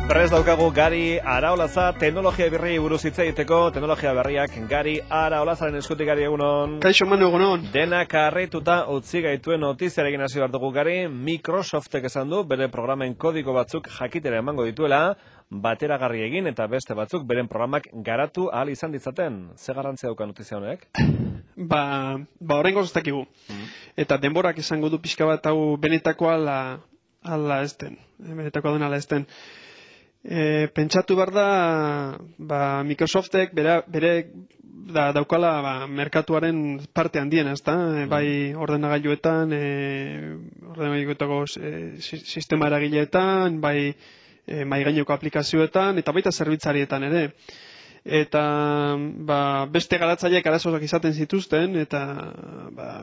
Prest daukagu Gari Araolaza teknologia berri buruz hitz egiteko, teknologia berriak Gari Araolazaren eskutik. Gari, egunon. Kaixo, Manu, egunon. Denak harrituta utzi gaituen notiziarekin hasi behar dugu, Gari. Microsoftek esan du bere programen kodiko batzuk jakitera emango dituela, bateragarri egin eta beste batzuk beren programak garatu ahal izan ditzaten. Ze garrantzia dauka notizia honek? Horrengo ez dakigu. Eta denborak esango du pixka bat hau benetakoa ala ez den. Benetakoa den ala ez den. Pentsatu behar da, Microsoftek bere daukala merkatuaren parte handiena, ezta? Bai ordenagailuetan, ordenagailuetako sistema eragileetan, bai mahaigaineko aplikazioetan, eta baita zerbitzarietan ere. Eta beste garatzaileek arazoak izaten zituzten, eta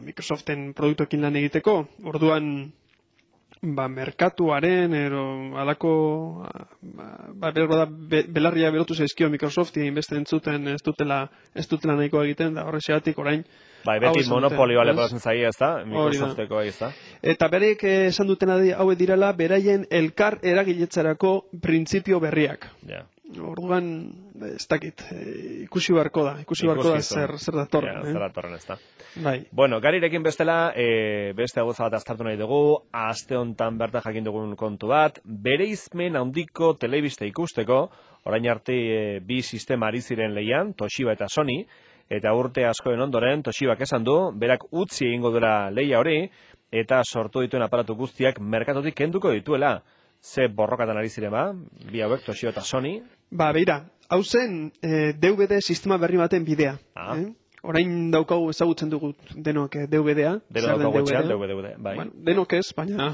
Microsoften produktuekin lan egiteko, orduan merkatuaren alako belarria berotu zaizkio Microsofti beste entzuten ez dutela nahikoa egiten, da horrexegatik orain beti monopolioa leporatzen zaia, ez da? Microsofteko ez da? Eta berek esan dutena hauek direla beraien elkar eragiletzarako printzipio berriak. Orduan, ez dakit, ikusi beharko da zer datorren. Zer datorren, ez da. Bai. Bueno, Garirekin bestela, beste gauza bat aztertu nahi dugu, aste hontan bertan jakin dugun kontu bat, bereizmen handiko telebista ikusteko, orain arte bi sistema ari ziren lehian, Toshiba eta Sony, eta urte askoen ondoren, Toshibak esan du, berak utzi egingo dela lehia hori, eta sortu dituen aparatu guztiak merkatotik kenduko dituela. Ze borrokatan ari ziren bi hauek, Toshiba eta Sony? Beira, hau zen DVD sistema berri baten bidea. Orain daukagu ezagutzen dugu denok DVD-a. Denok daukagu etxean, DVD, bai. Bueno, denok ez, baina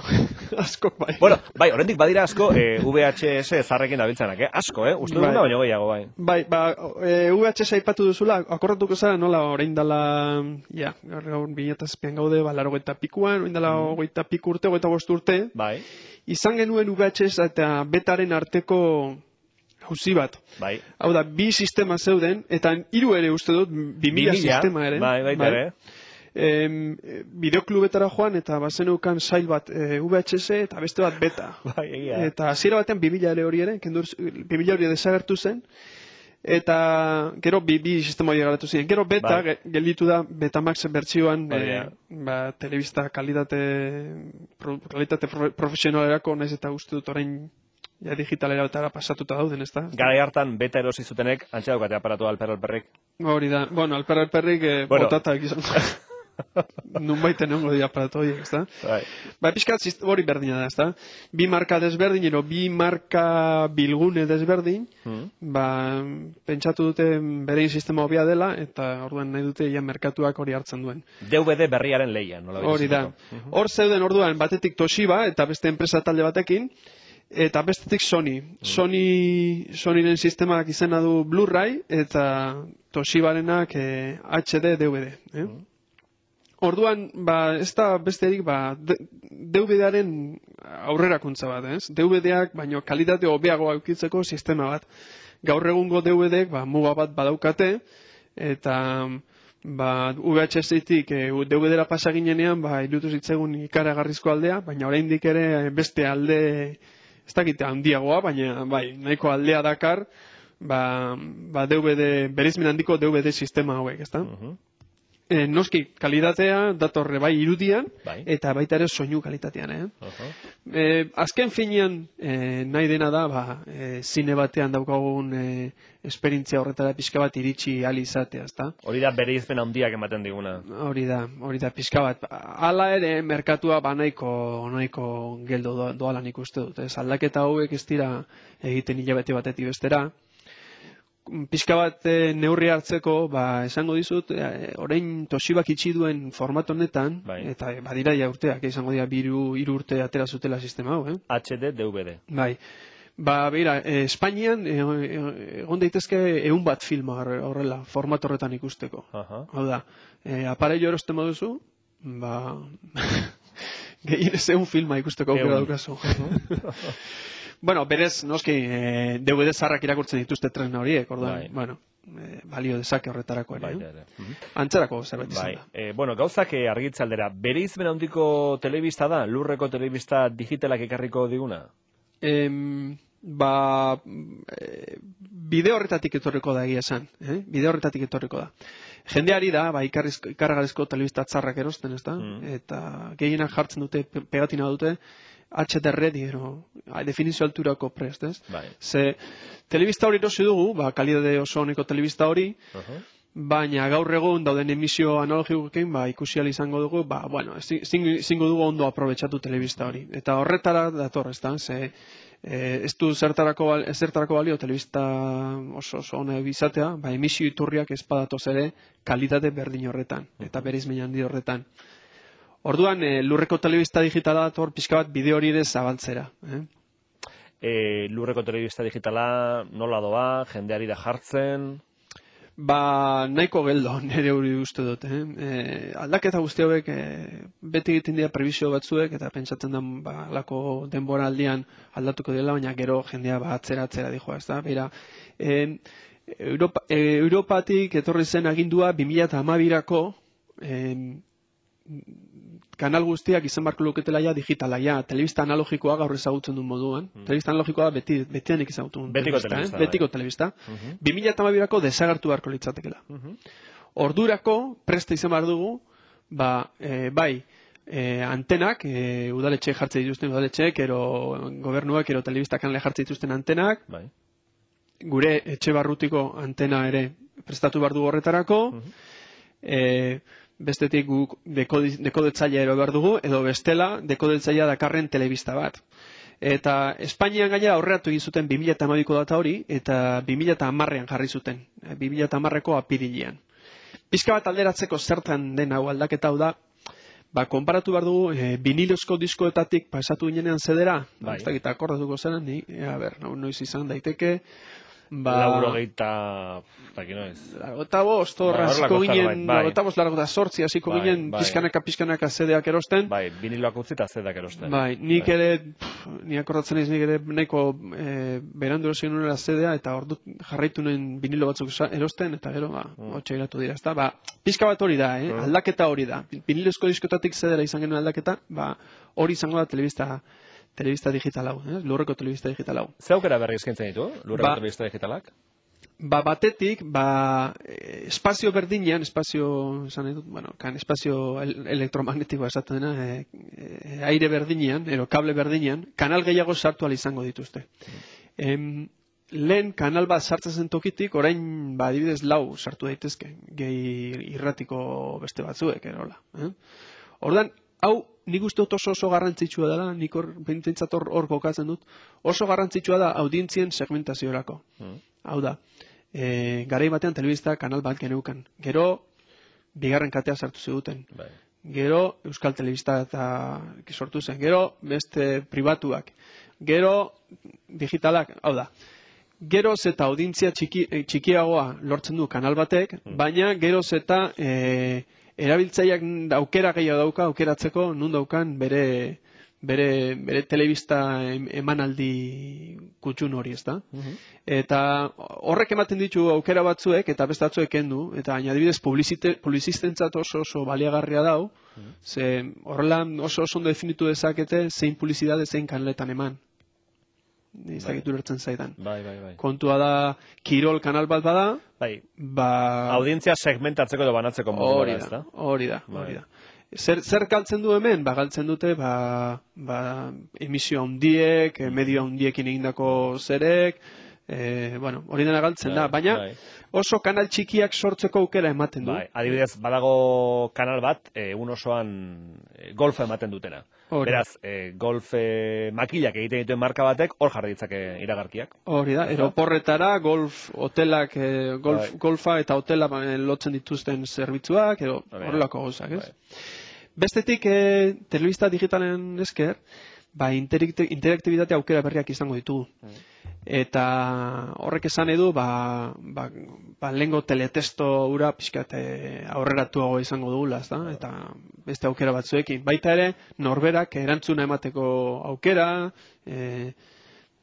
asko bai. Bueno, bai, oraindik badira asko VHS zarrekin dabiltzanak, asko, uste duguna baino gehiago, bai. Bai, VHS aipatu duzula, akordatuko zara nola orain dala, gaur 2007an gaude, 80 pikuan, orain dala 20 piku urte, 25 urte. Bai. Izan genuen VHS eta betaren arteko jauzi bat. Bai. Hau da, bi sistema zeuden, eta 3 ere uste dut, 2000 sistema ere. Bai, baita ere. Bideoklubetara joan, eta bazeneukan sail bat VHS eta beste bat beta. Bai, egia. Eta hasiera batean 2000 ere hori ere, 2000 hori desagertu zen, eta gero bi sistema hori garatu ziren. Gero beta, gelditu da, Betamax bertsioan, telebista kalitate profesionalerako, naiz eta uste dut orain digitalera eta pasatuta dauden, ez da? Garai hartan beta erosi zutenek, antxe daukate aparatu alperrik. Hori da, bueno, alperrik botatak izan. Nunbaiten egongo dira aparatu horiek, ez da? Pixkat hori berdina da, ez da? Bi marka desberdin, bi marka bilgune desberdin, pentsatu dute berein sistema hobia dela, eta orduan nahi dute merkatuak hori hartzen duen. DVD berriaren lehian, nola? Hori da. Hor zeuden orduan batetik Toshiba, eta beste enpresa talde batekin, eta bestetik Sony. Sonyren sistemak izena du Blu-ray eta Toshibarenak HD DVD. Orduan, ez da besterik DVD-aren aurrerakuntza bat, ez? DVD-ak, baino kalitate hobeago aukitzeko sistema bat. Gaur egungo DVD-ek muga bat badaukate, eta VHS-etik DVD-ra pasa ginenean, irutu zitzegun ikaragarrizko aldea, baina oraindik ere beste alde ez dakite handiagoa, baina nahiko aldea dakar DVD, bereizmen handiko DVD sistema hauek, ezta? Noski, kalitatea datorre irudian, eta baita ere soinu kalitatean, azken finean nahi dena da, zine batean daukagun esperientzia horretara pixka bat iritsi ahal izatea, ezta? Hori da bereizmen handiak ematen diguna. Hori da pixka bat. Hala ere, merkatua nahiko geldo doalan ikuste dut. Aldaketa hauek ez dira egiten hilabete batetik bestera. Pixka bat neurri hartzeko, esango dizut, orain Toshibak itxi duen format honetan, eta badira ja urteak, izango dira 3 urte atera zutela sistema hau, HD, DVD. Bai. Beira, Espainian egon daitezke 100 bat filma horrela, format horretan ikusteko. Hau da, aparello erosten baduzu, gehienez 100 filma ikusteko aukera daukazu. Bueno, berez, noski, DVD zarrak irakurtzen dituzte tresna horiek, orduan, balio dezake horretarako ere. Antzerako zerbait izan da. Bueno, gauzak argitzaldera, bereizmen handiko telebista da, lurreko telebista digitalak ekarriko diguna? bide horretatik etorriko da egia esan, bide horretatik etorriko da. Jendeari da, ikaragarrizko telebista txarrak erosten, ez da? Eta gehienak jartzen dute, pegatina dute, HDR ready, definizio alturako prest, ez? Ze, telebista hori erosi dugu, kalidade oso honeko telebista hori, baina gaur egun dauden emisio analogikoekin ikusi ahal izango dugu, zingo dugu ondo aprobetxatu telebista hori. Eta horretara dator, ez da? Ze, ez du zertarako balio telebista oso hona bizatea, emisio iturriak ez badatoz ere kalitate berdin horretan, eta bereizmen handi horretan. Orduan, lurreko telebista digitala dator pixka bat bideo hori ere zabaltzera. Lurreko telebista digitala nola doa, jendeari da jartzen? Nahiko geldo, nire hori uste dut. Aldaketa guzti hauek beti egiten dira prebizio batzuek, eta pentsatzen da lako denbora aldian aldatuko dela, baina gero jendea atzera dijoa, ez da? Beira, Europatik etorri zen agindua 2012ko kanal guztiak izan barko luketela digitala, telebista analogikoa gaur ezagutzen duen moduan. Telebista analogikoa betianik ezagutzen duen. Betiko telebista. 2012ko desagertu barko litzatekela. Ordurako, presta izan behar dugu, antenak, udaletxe jartzen dituzten udaletxeek, ero gobernuak, ero telebista kanale jartzen dituzten antenak, gure etxe barrutiko antena ere prestatu behar dugu horretarako, bestetik guk dekodetzailea ero behar dugu, edo bestela dekodetzailea dakarren telebista bat. Eta Espainian gainera aurreratu egin zuten 2012ko data hori, eta 2010ean jarri zuten, 2010ko apirilean. Pizka bat alderatzeko zertan den hau aldaketa hau da, konparatu behar dugu vinilozko diskoetatik pasatu ginenean zedera, ez dakit akordatuko zeren, noiz izan daiteke, Laurogeita... Largota bost, hasiko ginen, largota sortzi, hasiko ginen, pizkanaka zedeak erosten. Viniloak utzi eta zedeak erosten. Nik ere, ni akordatzen ez, nik ere nahiko berandu erosien nuen zedea, eta ordu jarraitu nuen vinilo batzuk erosten, eta gero, hotxe iratu dira, ez da. Pizka bat hori da, aldaketa hori da. Vinilozko diskotatik zedera izan genuen aldaketa, hori izango da telebista digital hau, lurreko telebista digital hau. Ze aukera berri eskaintzen ditu, lurreko telebista digitalak? Batetik, espazio berdinean, espazio elektromagnetikoa esaten dena, aire berdinean, ero kable berdinean, kanal gehiago sartu ahal izango dituzte. Lehen kanal bat sartzen zen tokitik, orain, adibidez 4 sartu daitezke, gehi irratiko beste batzuek, erola. Ordan, hau, nik uste dut oso garrantzitsua dela, nik pentsat hor kokatzen dut, oso garrantzitsua da audientzien segmentaziorako. Hau da, garai batean telebista kanal bat geneukan. Gero, bigarren katea sartu ziguten. Gero, Euskal Telebista eta sortu zen. Gero, beste pribatuak. Gero, digitalak, hau da. Gero eta audientzia txikiagoa lortzen du kanal batek, baina gero eta erabiltzaileak aukera gehiago dauka, aukeratzeko nun daukan bere telebista emanaldi kutxun hori, ezta? Eta horrek ematen ditu aukera batzuek, eta beste batzuek kendu, eta adibidez publizistentzat oso baliagarria dau, ze horrela oso ondo definitu dezakete zein publizitate zein kanaletan eman. Izakitu lertzen zaidan. Kontua da, Kirol kanal bat bada, audientzia segmentatzeko edo banatzeko modu da, ezta? Hori da. Zer galtzen du hemen? Galtzen dute emisio handiek, medio handiekin egindako zerek, hori dena galtzen da, baina oso kanal txikiak sortzeko aukera ematen du. Adibidez, badago kanal bat, egun osoan golfa ematen dutena. Beraz, golf makilak egiten dituen marka batek, hor jarri ditzake iragarkiak. Hori da, eroporretara, golf hotelak, golfa eta hotela lotzen dituzten zerbitzuak, horrelako gauzak, ez? Bestetik, telebista digitalen esker, interaktibitate aukera berriak izango ditugu. Eta horrek esan edu, lehengo teletesto ura pixkat aurreratuago izango dugula, eta beste aukera batzuekin. Baita ere, norberak erantzuna emateko aukera,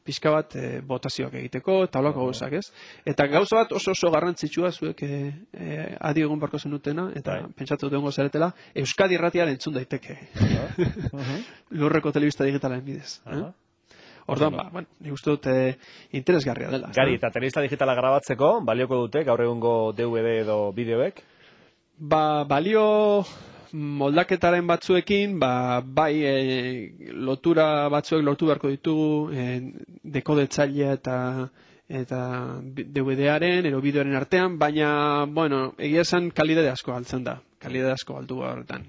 pixka bat botazioak egiteko, eta holako gauzak, ez? Eta gauza bat oso garrantzitsua zuek adi egun barko zenutena, eta pentsatu dut egongo zaretela, Euskadi irratian entzun daiteke. Lurreko telebista digitalen bidez. Orduan, bueno, nik uste dut interesgarria dela. Gari, eta telebista digitala grabatzeko, balioko dute gaur egungo DVD edo bideoek? Balio moldaketaren batzuekin, bai lotura batzuek lortu beharko ditugu dekodetzailea eta DVD-aren, ero bideoaren artean, baina, bueno, egia esan kalidade asko galtzen da. Kalidade asko galtu horretan.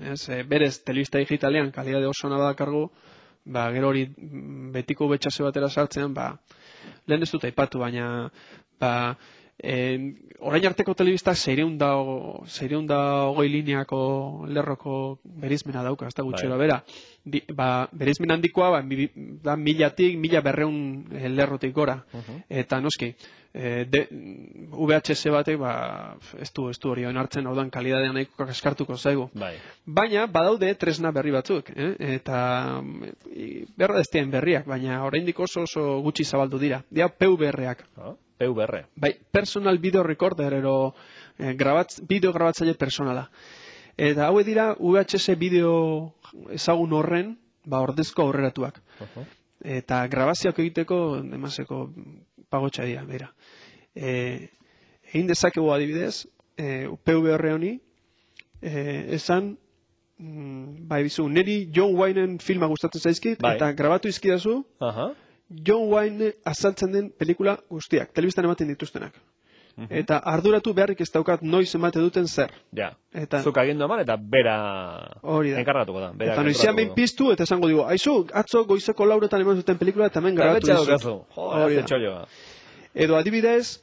Berez, telebista digitalean kalidade oso nabadakargu, gero hori betiko betxase batera sartzean, lehen ez dut aipatu, baina, orain arteko telebistak 620 lineako lerroko bereizmena dauka, ez da gutxera bera. Bereizmen handikoa, da 1000-1200 lerrotik gora. Eta noski, VHS batek, ez du hori onartzen, hau dan kalidadean nahiko kaskartuko zaigu. Baina, badaude tresna berri batzuk, eta berra destien berriak, baina oraindik oso gutxi zabaldu dira. Dia PVR-ak. PVR. Bai, personal video recorder, ero bideo grabatzaile personala. Eta hauek dira VHS bideo ezagun horren, ordezko aurreratuak. Eta grabazioak egiteko, demaseko pagotxa dira, bera. Egin dezakegu adibidez, PVR honi, esan, bizu, niri John Waynen filma gustatzen zaizkit, eta grabatu izkidazu, John Wayne azaltzen den pelikula guztiak, telebistan ematen dituztenak. Eta arduratu beharrik ez daukat noiz emate duten zer. Ja, zuk agindu eman eta bera enkargatuko da. Eta noizian behin piztu eta esango digo, aizu, atzo goizeko lauretan eman zuten pelikula eta hemen grabatu dizut. Edo adibidez,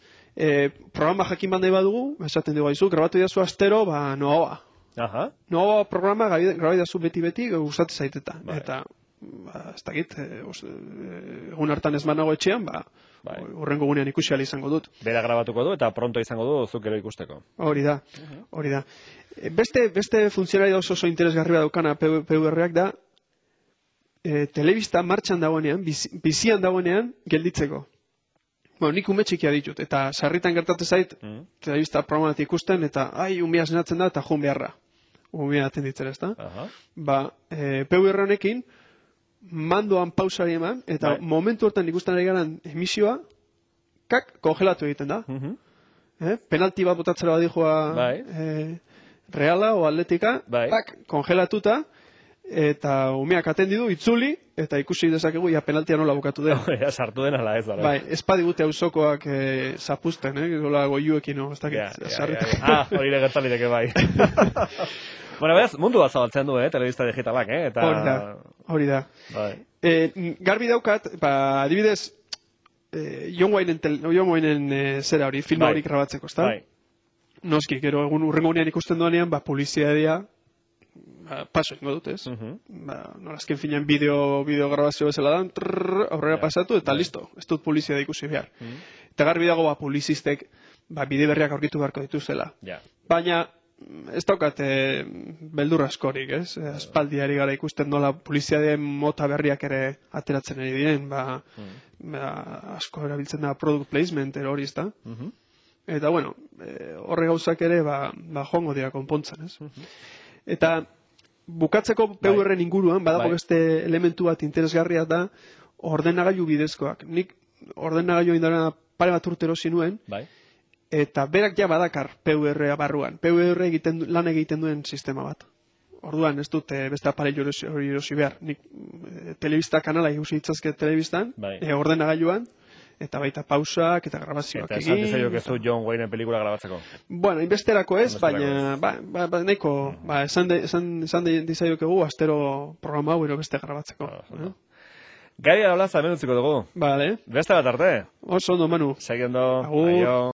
programa jakin bandai badugu, esaten dugu, aizu, grabatu didazu astero, Noa. Noa programa grabai dazu beti, gustatzen zaiteta. Eta ez dakit, egun hartan ez manago etxean, urrengo gunean ikusi ahal izango dut. Bera grabatuko du eta pronto izango du zuk ero ikusteko. Hori da. Beste funtzionari oso interesgarria daukana PVR-ak da, telebista martxan dagoenean, bizian dagoenean, gelditzeko. Nik ume txikia ditut, eta sarritan gertatzen zait, telebista programat ikusten, eta umea zenatzen da, eta joan beharra. Umea atenditzen ez da. PVR honekin, mandoan pausari eman, eta momentu hortan ikusten ari garan emisioa, kongelatu egiten da. Penalti bat botatzera badijua Reala o Atletika, kongelatuta, eta umeak atendidu, itzuli, eta ikusi dezakegu, penaltia nola bukatu den. Sartu den ala ez. Ez padigute auzokoak zapusten, gola goiuekin, ez dakit. Hori legertaliteke bai. Bueno, beraz, mundu bat zabaltzen du, telebista digitalak, Hori da. Garbi daukat, adibidez, John Waynen zera hori, filma hori grabatzeko, ezta? Noski, gero urrengo unean ikusten duanean, poliziadia paso ingo dut, ez? Nolazken finean bideo grabazio bezala dan, aurrera pasatu, eta listo, ez dut polizia ikusi behar. Eta garbi dago, polizistek, bide berriak aurkitu beharko dituzela. Baina, ez daukat beldur askorik, ez? Aspaldiari gara ikusten nola poliziadeen mota berriak ere ateratzen ari diren, asko erabiltzen da product placement hori, ez da? Eta, bueno, horre gauzak ere, joango dira konpontzen, ez? Eta, bukatzeko PVR-en inguruan, badago beste elementu bat interesgarria da, ordenagailu bidezkoak. Nik ordenagailu indaren pare bat urtero zinuen, eta berak ja badakar PVR barruan. PVR lan egiten duen sistema bat. Orduan, ez dut beste aparello hori erosi behar. Nik telebista kanala ikusi ditzazke telebistan, ordenagailuan, eta baita pausak eta grabazioak egin. Eta esan dizaiok ez du John Wayne pelikula grabatzeko? Bueno, inbesterako ez, baina neko, esan dizaiok egu astero programa hau ero beste grabatzeko. Gari ala hemen utziko dugu. Bale. Beste bat arte. Oso ondo, Manu. Seguindo. Aio.